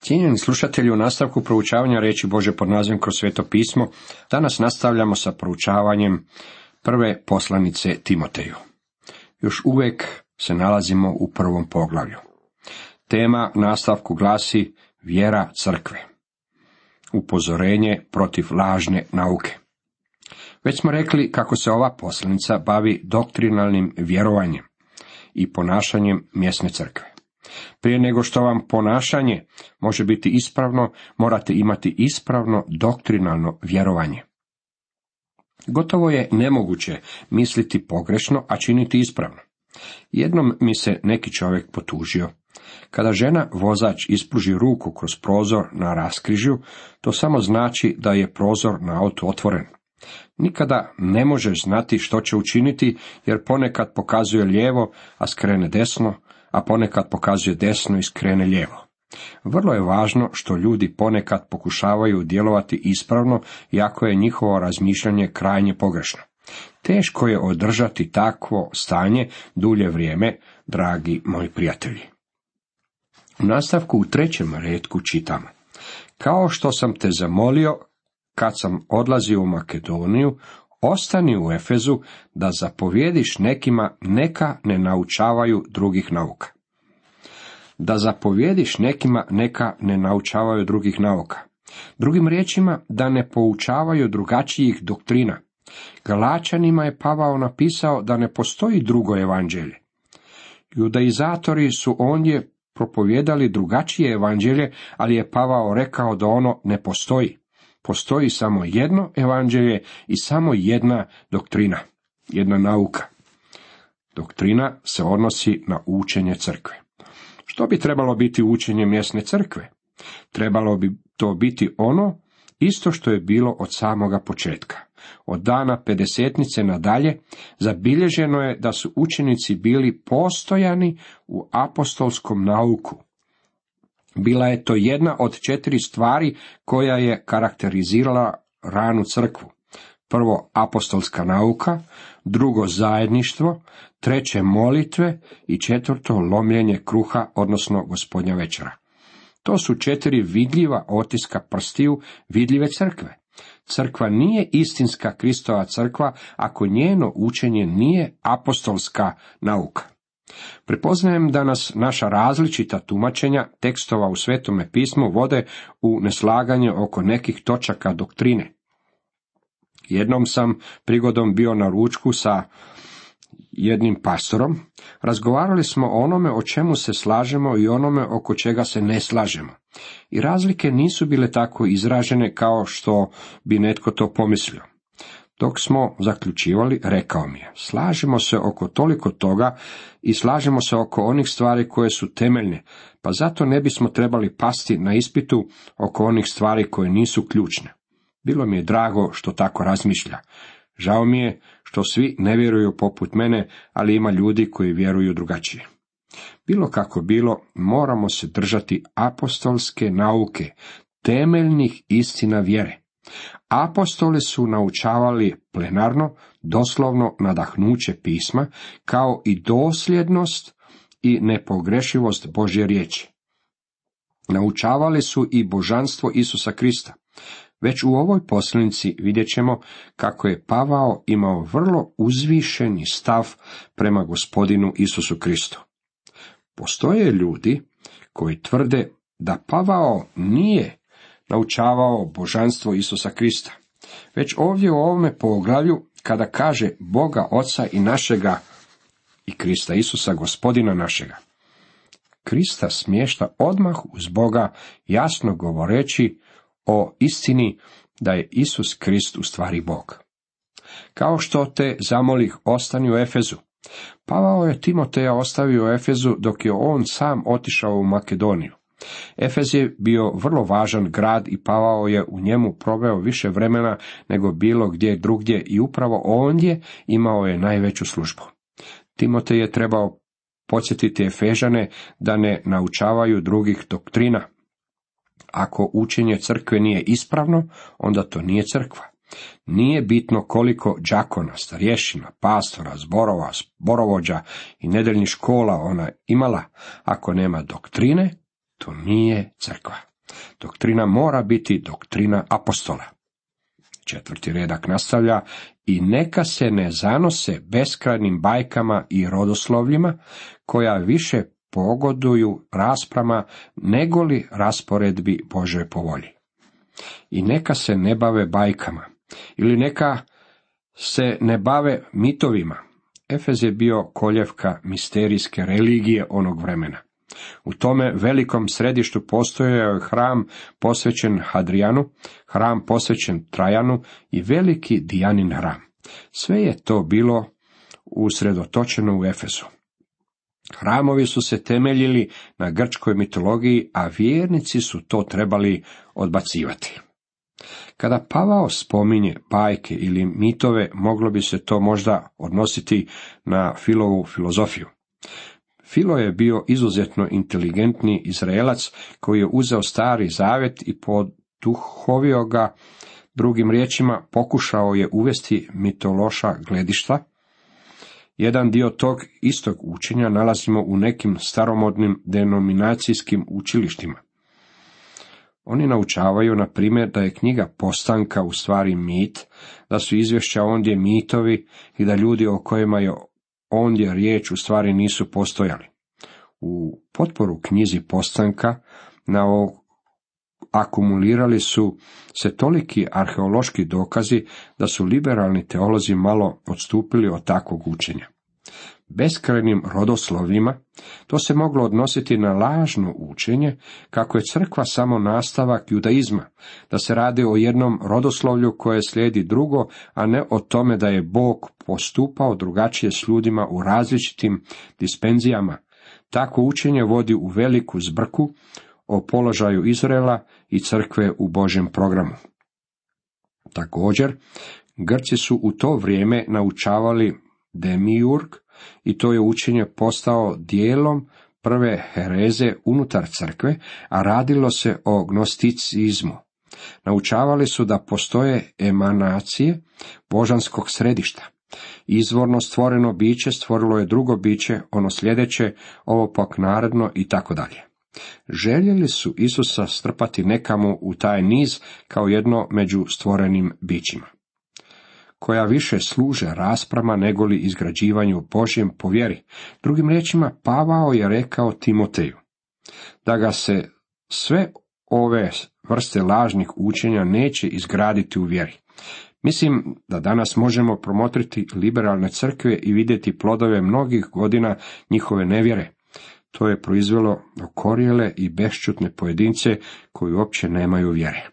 Cijenjeni slušatelji, u nastavku proučavanja riječi Božje pod nazivom Kroz sveto pismo, danas nastavljamo sa proučavanjem prve poslanice Timoteju. Još uvijek se nalazimo u prvom poglavlju. Tema nastavku glasi vjera crkve. Upozorenje protiv lažne nauke. Već smo rekli kako se ova poslanica bavi doktrinalnim vjerovanjem i ponašanjem mjesne crkve. Prije nego što vam ponašanje može biti ispravno, morate imati ispravno doktrinalno vjerovanje. Gotovo je nemoguće misliti pogrešno, a činiti ispravno. Jednom mi se neki čovjek potužio. Kada žena vozač ispruži ruku kroz prozor na raskrižju, to samo znači da je prozor na autu otvoren. Nikada ne možeš znati što će učiniti, jer ponekad pokazuje lijevo, a skrene desno, a ponekad pokazuje desno i skrene lijevo. Vrlo je važno što ljudi ponekad pokušavaju djelovati ispravno, iako je njihovo razmišljanje krajnje pogrešno. Teško je održati takvo stanje dulje vrijeme, dragi moji prijatelji. U nastavku u 3. retku čitamo: kao što sam te zamolio kad sam odlazio u Makedoniju, ostani u Efezu da zapovjediš nekima neka ne naučavaju drugih nauka. Da zapovjediš nekima neka ne naučavaju drugih nauka. Drugim riječima, da ne poučavaju drugačijih doktrina. Galačanima je Pavao napisao da ne postoji drugo evanđelje. Judaizatori su ondje propovijedali drugačije evanđelje, ali je Pavao rekao da ono ne postoji. Postoji samo jedno evanđelje i samo jedna doktrina, jedna nauka. Doktrina se odnosi na učenje crkve. Što bi trebalo biti učenje mjesne crkve? Trebalo bi to biti ono isto što je bilo od samoga početka. Od dana pedesetnice nadalje zabilježeno je da su učenici bili postojani u apostolskom nauku. Bila je to jedna od 4 stvari koja je karakterizirala ranu crkvu. Prvo, apostolska nauka, drugo, zajedništvo, treće, molitve i četvrto, lomljenje kruha, odnosno gospodnja večera. To su 4 vidljiva otiska prstiju vidljive crkve. Crkva nije istinska Kristova crkva ako njeno učenje nije apostolska nauka. Prepoznajem da nas naša različita tumačenja tekstova u Svetome pismu vode u neslaganje oko nekih točaka doktrine. Jednom sam prigodom bio na ručku sa jednim pastorom. Razgovarali smo o onome o čemu se slažemo i onome oko čega se ne slažemo. I razlike nisu bile tako izražene kao što bi netko to pomislio. Dok smo zaključivali, rekao mi je: slažemo se oko toliko toga i slažemo se oko onih stvari koje su temeljne, pa zato ne bismo trebali pasti na ispitu oko onih stvari koje nisu ključne. Bilo mi je drago što tako razmišlja. Žao mi je što svi ne vjeruju poput mene, ali ima ljudi koji vjeruju drugačije. Bilo kako bilo, moramo se držati apostolske nauke, temeljnih istina vjere. Apostoli su naučavali plenarno, doslovno nadahnuće pisma, kao i dosljednost i nepogrešivost Božje riječi. Naučavali su i božanstvo Isusa Krista. Već u ovoj poslanici vidjet ćemo kako je Pavao imao vrlo uzvišeni stav prema gospodinu Isusu Kristu. Postoje ljudi koji tvrde da Pavao nije naučavao božanstvo Isusa Krista. Već ovdje u ovome poglavlju, kada kaže Boga Oca i našega i Krista Isusa gospodina našega, Krista smješta odmah uz Boga, jasno govoreći o istini da je Isus Krist u stvari Bog. Kao što te zamolih, ostani u Efezu. Pavao je Timoteja ostavio u Efezu dok je on sam otišao u Makedoniju. Efez je bio vrlo važan grad i Pavao je u njemu proveo više vremena nego bilo gdje drugdje i upravo ondje imao je najveću službu. Timotej je trebao podsjetiti Efežane da ne naučavaju drugih doktrina. Ako učenje crkve nije ispravno, onda to nije crkva. Nije bitno koliko đakona, starješina, pastora, zborova, zborovođa i nedeljnih škola ona imala. Ako nema doktrine, to nije crkva. Doktrina mora biti doktrina apostola. 4. redak nastavlja: i neka se ne zanose beskrajnim bajkama i rodoslovljima, koja više pogoduju rasprama negoli rasporedbi Božoj po volji. I neka se ne bave bajkama, ili neka se ne bave mitovima. Efez je bio koljevka misterijske religije onog vremena. U tome velikom središtu postojao je hram posvećen Hadrijanu, hram posvećen Trajanu i veliki Dijanin hram. Sve je to bilo usredotočeno u Efesu. Hramovi su se temeljili na grčkoj mitologiji, a vjernici su to trebali odbacivati. Kada Pavao spominje bajke ili mitove, moglo bi se to možda odnositi na Filovu filozofiju. Filo je bio izuzetno inteligentni Izraelac koji je uzeo Stari Zavet i poduhovio ga, drugim riječima pokušao je uvesti mitološka gledišta. Jedan dio tog istog učenja nalazimo u nekim staromodnim denominacijskim učilištima. Oni naučavaju, na primjer, da je knjiga Postanka u stvari mit, da su izvješća ondje mitovi i da ljudi o kojima je ondje riječ u stvari nisu postojali. U potporu knjizi Postanka akumulirali su se toliki arheološki dokazi da su liberalni teolozi malo odstupili od takvog učenja. Beskrajnim rodoslovima to se moglo odnositi na lažno učenje kako je crkva samo nastavak judaizma, da se radi o jednom rodoslovlju koje slijedi drugo, a ne o tome da je Bog postupao drugačije s ljudima u različitim dispenzijama. Takvo učenje vodi u veliku zbrku o položaju Izraela i crkve u Božjem programu. Također, Grci su u to vrijeme naučavali demiurg i to je učenje postao dijelom prve hereze unutar crkve, a radilo se o gnosticizmu. Naučavali su da postoje emanacije božanskog središta. Izvorno stvoreno biće stvorilo je drugo biće, ono sljedeće, ovo pak naredno i tako dalje. Željeli su Isusa strpati nekamo u taj niz kao jedno među stvorenim bićima, koja više služe rasprama negoli izgrađivanju Božjem po vjeri. Drugim riječima, Pavao je rekao Timoteju da ga se sve ove vrste lažnih učenja neće izgraditi u vjeri. Mislim da danas možemo promotriti liberalne crkve i vidjeti plodove mnogih godina njihove nevjere. To je proizvelo okorjele i bešćutne pojedince koji uopće nemaju vjere.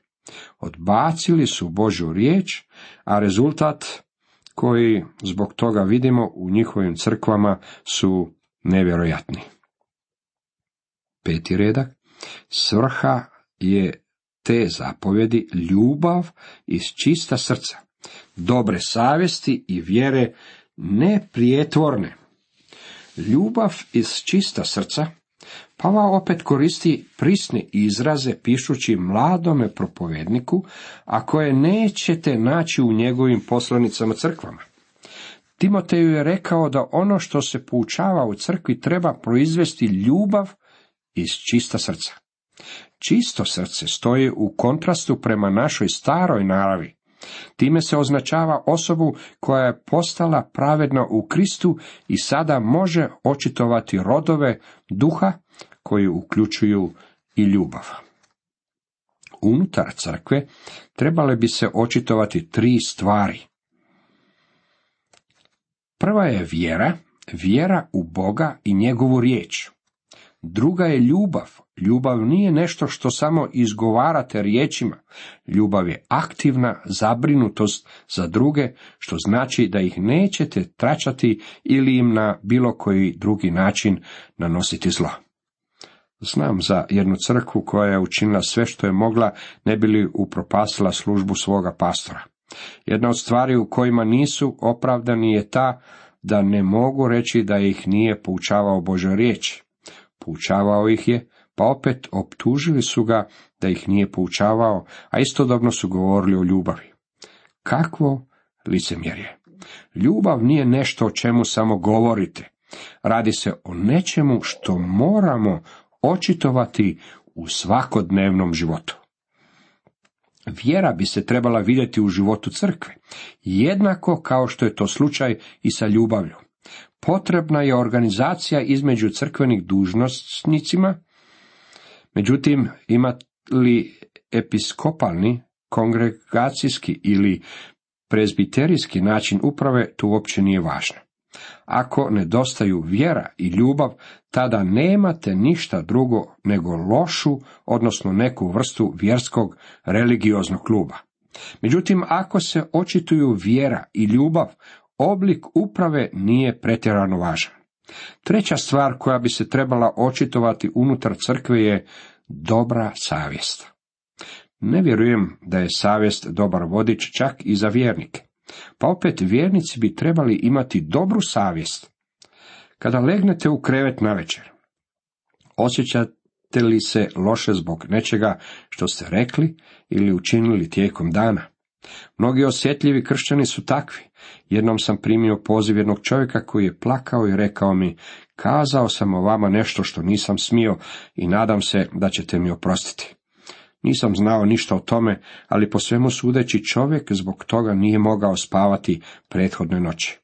Odbacili su Božju riječ, a rezultat koji zbog toga vidimo u njihovim crkvama su nevjerojatni. 5. redak. Svrha je te zapovjedi ljubav iz čista srca, dobre savjesti i vjere neprijetvorne. Ljubav iz čista srca. Pavao opet koristi prisne izraze pišući mladome propovedniku, a koje nećete naći u njegovim poslanicama crkvama. Timoteju je rekao da ono što se poučava u crkvi treba proizvesti ljubav iz čista srca. Čisto srce stoji u kontrastu prema našoj staroj naravi. Time se označava osobu koja je postala pravedna u Kristu i sada može očitovati rodove duha koji uključuju i ljubav. Unutar crkve trebale bi se očitovati 3 stvari. Prva je vjera u Boga i njegovu riječ. Druga je ljubav. Ljubav nije nešto što samo izgovarate riječima. Ljubav je aktivna zabrinutost za druge, što znači da ih nećete tračati ili im na bilo koji drugi način nanositi zlo. Znam za jednu crkvu koja je učinila sve što je mogla ne bi li upropastila službu svoga pastora. Jedna od stvari u kojima nisu opravdani je ta da ne mogu reći da ih nije poučavao Božja riječ. Poučavao ih je, pa opet optužili su ga da ih nije poučavao, a istodobno su govorili o ljubavi. Kakvo licemjerje! Ljubav nije nešto o čemu samo govorite. Radi se o nečemu što moramo očitovati u svakodnevnom životu. Vjera bi se trebala vidjeti u životu crkve, jednako kao što je to slučaj i sa ljubavlju. Potrebna je organizacija između crkvenih dužnosnicima, međutim, ima li episkopalni, kongregacijski ili prezbiterijski način uprave, to uopće nije važno. Ako nedostaju vjera i ljubav, tada nemate ništa drugo nego lošu, odnosno neku vrstu vjerskog religioznog kluba. Međutim, ako se očituju vjera i ljubav, oblik uprave nije pretjerano važan. Treća stvar koja bi se trebala očitovati unutar crkve je dobra savjest. Ne vjerujem da je savjest dobar vodič čak i za vjernike. Pa opet vjernici bi trebali imati dobru savjest. Kada legnete u krevet navečer, osjećate li se loše zbog nečega što ste rekli ili učinili tijekom dana? Mnogi osjetljivi kršćani su takvi. Jednom sam primio poziv jednog čovjeka koji je plakao i rekao mi: kazao sam o vama nešto što nisam smio i nadam se da ćete mi oprostiti. Nisam znao ništa o tome, ali po svemu sudeći čovjek zbog toga nije mogao spavati prethodne noći.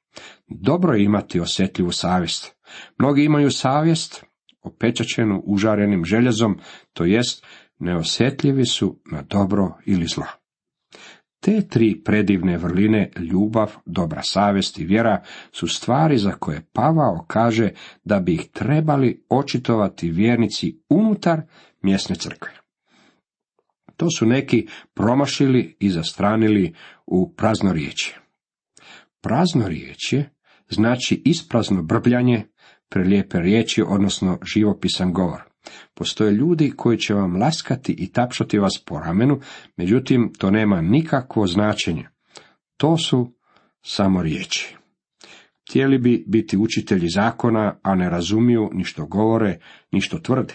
Dobro je imati osjetljivu savjest. Mnogi imaju savjest opečaćenu užarenim željezom, to jest neosjetljivi su na dobro ili zlo. Te tri predivne vrline, ljubav, dobra savjest i vjera, su stvari za koje Pavao kaže da bi ih trebali očitovati vjernici unutar mjesne crkve. To su neki promašili i zastranili u praznorječje. Praznorječje znači isprazno brbljanje, prelijepe riječi, odnosno živopisan govor. Postoje ljudi koji će vam laskati i tapšati vas po ramenu, međutim to nema nikakvo značenje. To su samo riječi. Htjeli bi biti učitelji zakona, a ne razumiju ni što govore, ni što tvrde.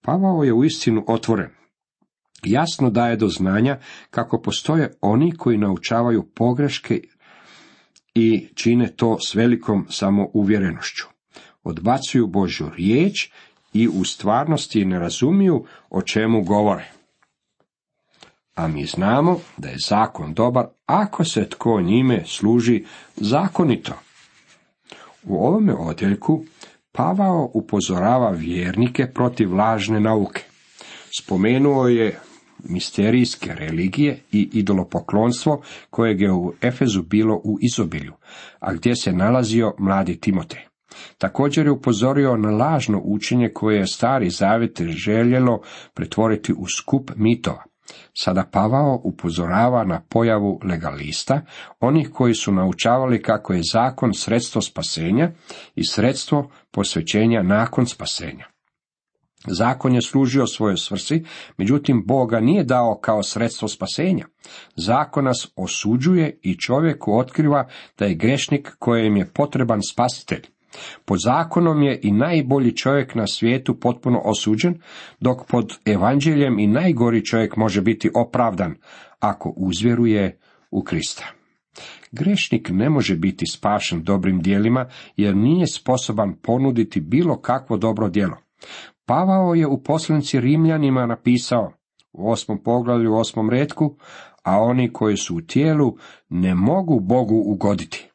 Pavao je uistinu otvoren. Jasno daje do znanja kako postoje oni koji naučavaju pogreške i čine to s velikom samouvjerenošću. Odbacuju Božju riječ i u stvarnosti ne razumiju o čemu govore. A mi znamo da je zakon dobar ako se tko njime služi zakonito. U ovome odjeljku Pavao upozorava vjernike protiv lažne nauke. Spomenuo je misterijske religije i idolopoklonstvo kojeg je u Efezu bilo u izobilju, a gdje se nalazio mladi Timotej. Također je upozorio na lažno učenje koje je Stari Zavjet željelo pretvoriti u skup mitova. Sada Pavao upozorava na pojavu legalista, onih koji su naučavali kako je zakon sredstvo spasenja i sredstvo posvećenja nakon spasenja. Zakon je služio svojoj svrsi, međutim Bog ga nije dao kao sredstvo spasenja. Zakon nas osuđuje i čovjeku otkriva da je grešnik kojem je potreban spasitelj. Pod zakonom je i najbolji čovjek na svijetu potpuno osuđen, dok pod evanđeljem i najgori čovjek može biti opravdan ako uzvjeruje u Krista. Grešnik ne može biti spašen dobrim djelima jer nije sposoban ponuditi bilo kakvo dobro djelo. Pavao je u poslanici Rimljanima napisao u 8. poglavlju 8. retku, a oni koji su u tijelu ne mogu Bogu ugoditi.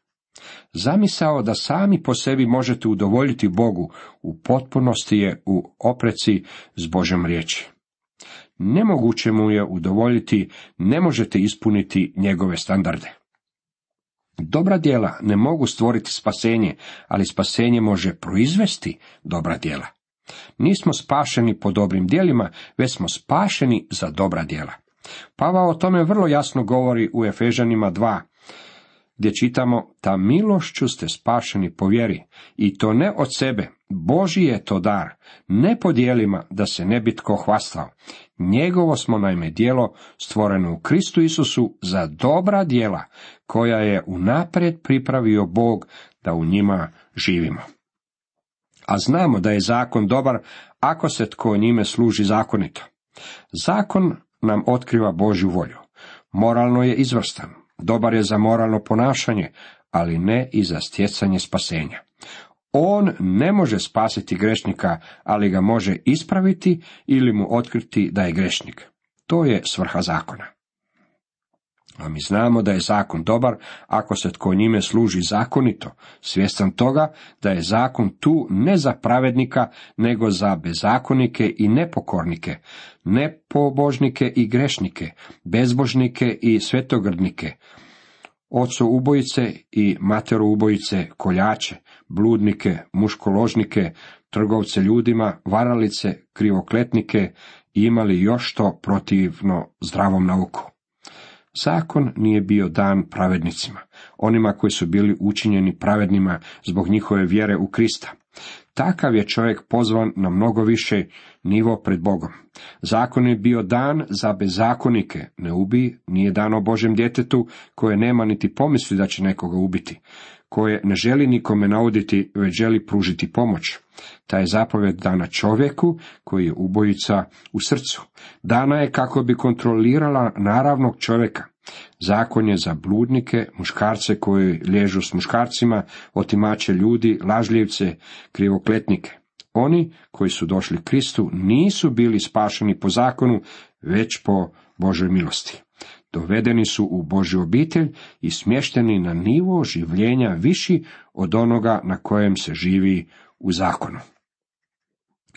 Zamisao da sami po sebi možete udovoljiti Bogu u potpunosti je u opreci s Božjom riječi. Nemoguće mu je udovoljiti, ne možete ispuniti njegove standarde. Dobra djela ne mogu stvoriti spasenje, ali spasenje može proizvesti dobra djela. Nismo spašeni po dobrim djelima, već smo spašeni za dobra djela. Pavao o tome vrlo jasno govori u Efežanima 2, gdje čitamo: ta milošću ste spašeni po vjeri, i to ne od sebe, Božji je to dar, ne po djelima, da se ne bi tko hvastao. Njegovo smo naime djelo stvoreno u Kristu Isusu za dobra djela, koja je unaprijed pripravio Bog da u njima živimo. A znamo da je zakon dobar ako se tko njime služi zakonito. Zakon nam otkriva Božju volju. Moralno je izvrstan, dobar je za moralno ponašanje, ali ne i za stjecanje spasenja. On ne može spasiti grešnika, ali ga može ispraviti ili mu otkriti da je grešnik. To je svrha zakona. A mi znamo da je zakon dobar ako se tko njime služi zakonito, svjestan toga da je zakon tu ne za pravednika, nego za bezakonike i nepokornike, nepobožnike i grešnike, bezbožnike i svetogrdnike, ocoubojice i materoubojice, koljače, bludnike, muškoložnike, trgovce ljudima, varalice, krivokletnike i imali još što protivno zdravom nauku. Zakon nije bio dan pravednicima, onima koji su bili učinjeni pravednima zbog njihove vjere u Krista. Takav je čovjek pozvan na mnogo više nivo pred Bogom. Zakon je bio dan za bezakonike, ne ubij, nije dan o Božjem djetetu koje nema niti pomisli da će nekoga ubiti, koje ne želi nikome nauditi, već želi pružiti pomoć. Ta je zapovjed dana čovjeku koji je ubojica u srcu. Dana je kako bi kontrolirala naravnog čovjeka. Zakon je za bludnike, muškarce koji liježu s muškarcima, otimače ljudi, lažljivce, krivokletnike. Oni koji su došli Kristu nisu bili spašeni po zakonu, već po Božoj milosti. Dovedeni su u Božju obitelj i smješteni na nivo življenja viši od onoga na kojem se živi u zakonu.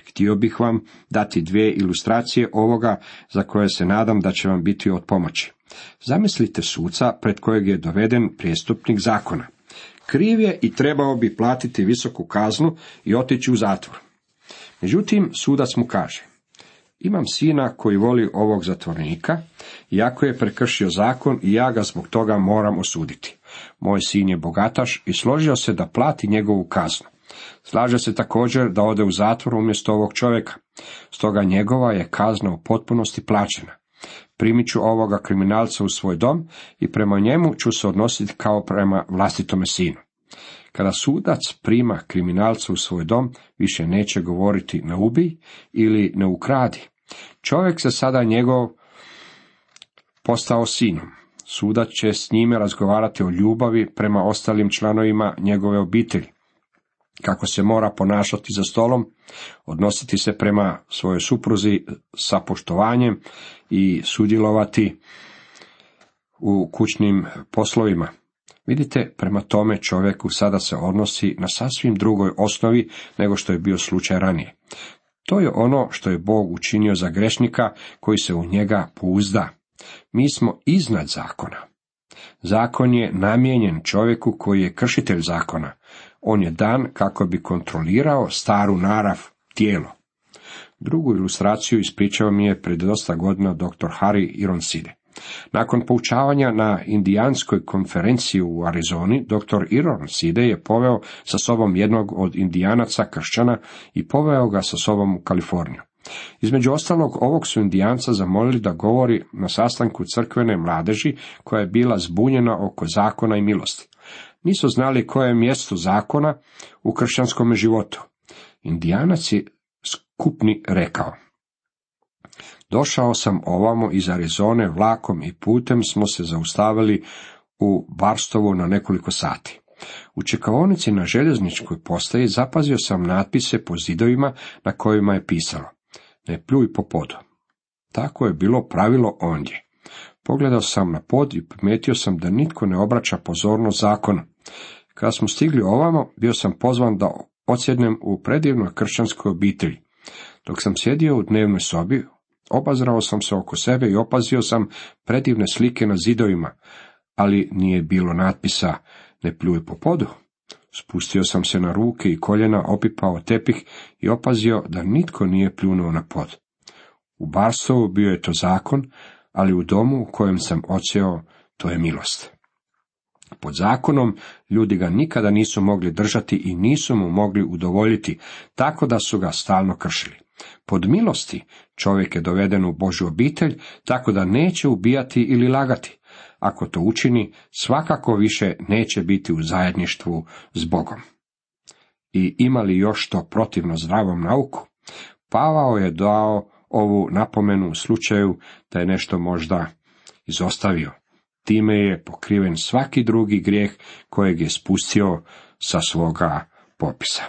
Htio bih vam dati 2 ilustracije ovoga za koje se nadam da će vam biti od pomoći. Zamislite suca pred kojeg je doveden prijestupnik zakona. Kriv je i trebao bi platiti visoku kaznu i otići u zatvor. Međutim, sudac mu kaže: imam sina koji voli ovog zatvornika, iako je prekršio zakon i ja ga zbog toga moram osuditi. Moj sin je bogataš i složio se da plati njegovu kaznu. Slaže se također da ode u zatvor umjesto ovog čovjeka. Stoga njegova je kazna u potpunosti plaćena. Primit ću ovoga kriminalca u svoj dom i prema njemu ću se odnositi kao prema vlastitome sinu. Kada sudac prima kriminalca u svoj dom, više neće govoriti ne ubij ili ne ukradi. Čovjek se sada njegov postao sinom. Sudac će s njime razgovarati o ljubavi prema ostalim članovima njegove obitelji, kako se mora ponašati za stolom, odnositi se prema svojoj supruzi sa poštovanjem i sudjelovati u kućnim poslovima. Vidite, prema tome čovjeku sada se odnosi na sasvim drugoj osnovi nego što je bio slučaj ranije. To je ono što je Bog učinio za grešnika koji se u njega pouzda. Mi smo iznad zakona. Zakon je namijenjen čovjeku koji je kršitelj zakona. On je dan kako bi kontrolirao staru narav, tijelo. Drugu ilustraciju ispričao mi je pred dosta godina dr. Harry Ironside. Nakon poučavanja na indijanskoj konferenciji u Arizoni, dr. Ironside je poveo sa sobom jednog od indijanaca kršćana i poveo ga sa sobom u Kaliforniju. Između ostalog, ovog su indijanca zamolili da govori na sastanku crkvene mladeži koja je bila zbunjena oko zakona i milosti. Nisu znali koje je mjesto zakona u kršćanskom životu. Indijanac je skupni rekao: došao sam ovamo iz Arizone vlakom i putem smo se zaustavili u Barstowu na nekoliko sati. U čekaonici na željezničkoj postaji zapazio sam natpise po zidovima na kojima je pisalo: ne pljuj po podu. Tako je bilo pravilo ondje. Pogledao sam na pod i primijetio sam da nitko ne obraća pozornost zakonu. Kada smo stigli ovamo, bio sam pozvan da odsjednem u predivnoj kršćanskoj obitelji. Dok sam sjedio u dnevnoj sobi, obazrao sam se oko sebe i opazio sam predivne slike na zidovima, ali nije bilo natpisa ne pljuj po podu. Spustio sam se na ruke i koljena, opipao tepih i opazio da nitko nije pljunuo na pod. U Barstowu bio je to zakon, ali u domu u kojem sam odsjeo, to je milost. Pod zakonom ljudi ga nikada nisu mogli držati i nisu mu mogli udovoljiti, tako da su ga stalno kršili. Pod milosti čovjek je doveden u Božju obitelj, tako da neće ubijati ili lagati. Ako to učini, svakako više neće biti u zajedništvu s Bogom. I ima li još to protivno zdravom nauku? Pavao je dao ovu napomenu u slučaju da je nešto možda izostavio. Time je pokriven svaki drugi grijeh kojeg je spustio sa svoga popisa.